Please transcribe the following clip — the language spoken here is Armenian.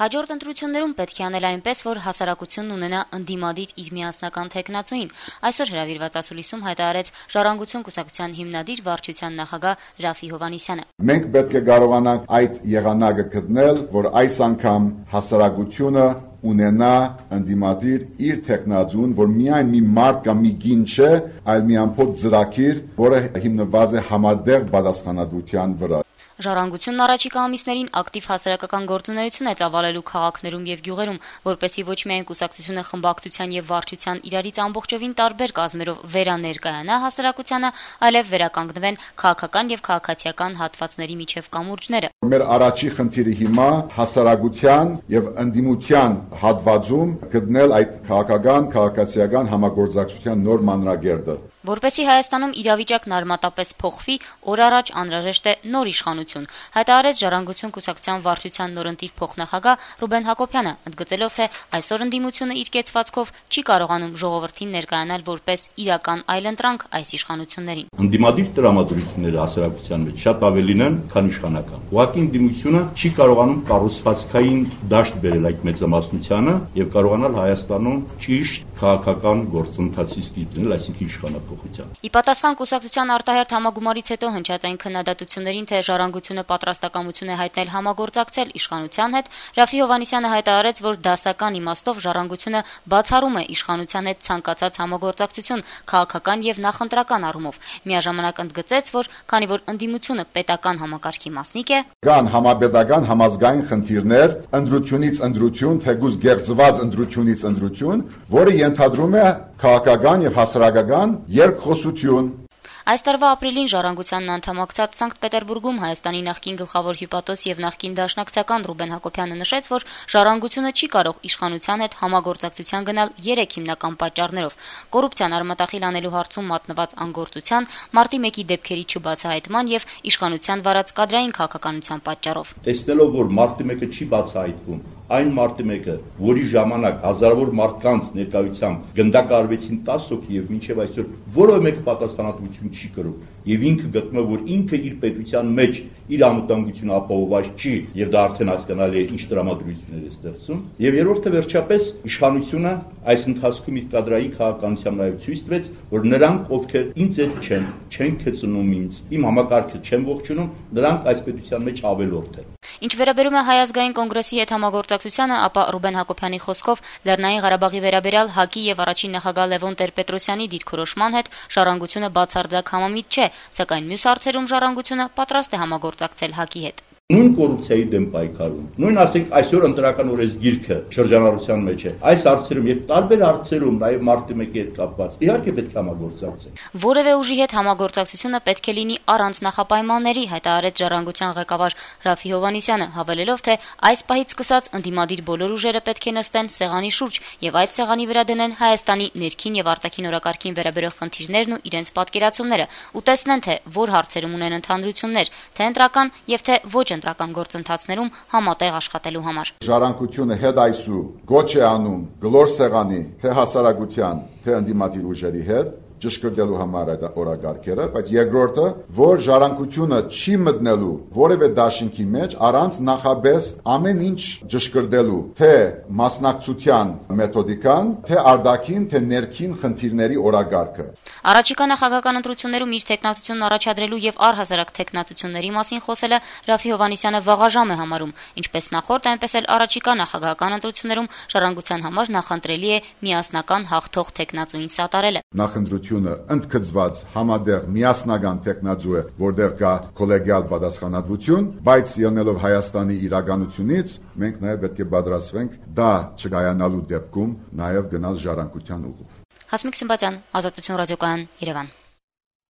Հաջորդ ընտրություններում պետք է անել այնպես, որ հասարակությունն ունենա ընդդիմադիր իր միասնական թեկնածուին։ Այսօր հրավիրված ասուլիսում հայտարարեց Ժառանգություն կուսակցության հիմնադիր վարչության նախագահ Ռաֆի Հովհաննիսյանը։ Մենք պետք է կարողանանք այդ եղանակը գտնել, որ այս անգամ հասարակությունը ունենա ընդդիմադիր իր թեկնածուն, որ միայն մի մարդ կամ մի գին չէ, այլ մի ամբողջ ծրագիր, որը հիմնված է համատեղ պատասխանատվության վրա։ Ժառանգությունն առաջիկա ամիսներին ակտիվ հասարակական գործունեություն է ծավալելու քաղաքներում եւ գյուղերում, որպեսզի ոչ միայն կուսակցությունը խմբակցության եւ վարչության իրարից ամբողջովին տարբեր կազմերով վերաներկայանա հասարակությանը, այլև վերականգնվեն քաղաքական եւ քաղաքացիական հատվածների միջև կամուրջները։ Մեր առաջի խնդիրը հիմա հասարակության եւ ընդդիմության հատվածում գտնել այդ քաղաքական, քաղաքացիական համագործակցության նոր մանրակերտը։ Որպեսզի Հայաստանում իրավիճակն արմատապես փոխվի, օր առաջ անհրաժեշտ է նոր իշխանություն, հայտարարեց Ժառանգություն կուսակցության վարչության նորընտիր փոխնախագահ Ռուբեն Հակոբյանը, ընդգծելով, թե այսօր ընդդիմությունը իր կեցվածքով չի կարողանում ժողովրդին ներկայանալ որպես իրական այլընտրանք այս իշխանություններին։ Ընդդիմադիր տրամադրությունները հասարակության մեջ շատ ավելին են, քան իշխանական։ Ուղղակի ընդդիմությունը չի կարողանում կառուցվածքային դաշտ բերել այդ մեծամասնությանը եւ կարողանալ Հայաստանում ճիշտ քաղաքական գործընթացի սկիզբնել, այսինքն իշխանափոխության։ Ի պատասխան կուսակցության արտահերթ համագումարից հետո հնչած այն քննադատություններին, թե Ժառանգությունը պատրաստակամություն է հայտնել համագործակցել իշխանության հետ, Ռաֆի Հովհաննիսյանը հայտարարեց, որ դասական իմաստով Ժառանգությունը բացառում է իշխանության հետ ցանկացած համագործակցություն քաղաքական եւ նախընտրական առումով։ Միաժամանակ ընդգծեց, որ քանի որ ընդդիմությունը պետական համակարգի մասնիկ է, կան համապետական համազգային խնդիրներ, ընտրությունից ընտրություն, թեկուզ գեղձված ընտրությունից ընտրություն, որը ենթադրում է քաղաքական եւ հասարակական երկխոսություն։ Այս տարվա ապրիլին Ժառանգությանն անդամակցած Սանկտ Պետերբուրգում Հայաստանի նախկին գլխավոր հյուպատոս եւ նախկին դաշնակցական Ռուբեն Հակոբյանը նշեց, որ Ժառանգությունը չի կարող իշխանության հետ համագործակցության գնալ 3 հիմնական պատճառներով՝ կոռուպցիան արմատախիլ անելու հարցում մատնված անգործության, մարտի 1-ի դեպքերի չբացահայտման եւ իշխանության վարած կադրային քաղաքականության պատճառով։ Տեսնելով, որ մարտի 1-ը չի բացահայտվում, այն մարտի 1-ը, որի ժամանակ հազարավոր մարդկանց ներկայությամբ գնդակահարվեցին 10 հոգի եւ մինչեւ այսօր որևէ մեկ պատասխանատվություն չի կրում եւ ինքը գտնում է, որ ինքը իր պետության մեջ իր անվտանգությունը ապահովված չի եւ դա արդեն հասկանալի է ինչ տրամադրություններ է ստեղծում եւ երրորդը վերջապես իշխանությունը այս ընթացքում իր կադրային քաղաքականությամբ նաեւ ցույց տվեց, որ նրանք ովքեր ինձ հետ չեն քծնում ինձ, իմ համակարգը չեն ողջունում, նրանք այս պետության մեջ ավելորդ են։ Ինչ վերաբերում է Հայ ազգային կոնգրեսի հետ համագործակցությանը, ապա Ռուբեն Հակոբյանի խոսքով Լեռնային Ղարաբաղի վերաբերյալ ՀԱԿ-ի եւ առաջին նախագահ Լևոն Տեր-Պետրոսյանի դիրքորոշման հետ Ժառանգությունը բացարձակ համամիտ չէ, սակայն մյուս հարցերում Ժառանգությունը պատրաստ է համագործակցել ՀԱԿ-ի հետ։ Նույն կոռուպցիայի դեմ պայքարում, նույն ասենք այսօր ընտրական օրենսգիրքը շրջանառության մեջ է։ Այս հարցերում եւ տարբեր հարցերում, նաեւ մարտի 1-ի հետ կապված, իհարկե պետք է համագործակցել։ Որևէ ուժի հետ համագործակցությունը պետք է լինի առանց նախապայմանների, հայտարարեց Ժառանգության ղեկավար Ռաֆի Հովհաննիսյանը, հավելելով, թե այս պահից սկսած ընդդիմադիր բոլոր ուժերը պետք է նստեն սեղանի շուրջ եւ այդ սեղանի վրա դնեն Հայաստանի ներքին եւ արտաքին օրակարգին վերաբերող խնդիրներն ու իրենց պատկերացումները ու տեսնեն, թե որ հարցերում ունեն ընդհանրություններ, թե ընտրական եւ թե ոչ ընտրական գործընթացներում համատեղ աշխատելու համար։ Ժառանգությունը հետ այսու գոչ է անում գլոր սեղանի թե հասարակության, թե ընդդիմադիր ուժերի հետ ճշգրտելու համար այդ օրակարգերը, բայց երկրորդը, որ Ժառանգությունը չի մտնելու որևէ դաշինքի մեջ առանց նախաբես ամեն ինչ ճշգրտելու, թե մասնակցության մեթոդիկան, թե արտաքին, թե ներքին խնդիրների օրակարգը։ Առաջիկա նախագահական ընտրություններում իր թեկնածությունն առաջադրելու եւ առհասարակ թեկնածությունների մասին խոսելը Ռաֆի Հովհաննիսյանը վաղաժամ է համարում, ինչպես նախորդ, այնպես էլ առաջիկա նախագահական ընտրություններում Ժառանգության համար նախընտրելի է միասնական հաղթող թեկնածուին սատարելը։ Նախընտրությունը ընդգծված համատեղ միասնական տեխնազու է, որտեղ կա կոլեգիալ պատասխանատվություն, բայց ելնելով Հայաստանի իրականությունից, մենք նաև պետք է պատրաստվենք դա չկայանալու դեպքում նաև գնալ ժառանգության ուղղով։ Հասմիկ Սմբատյան, Ազատություն ռադիոկայան, Երևան։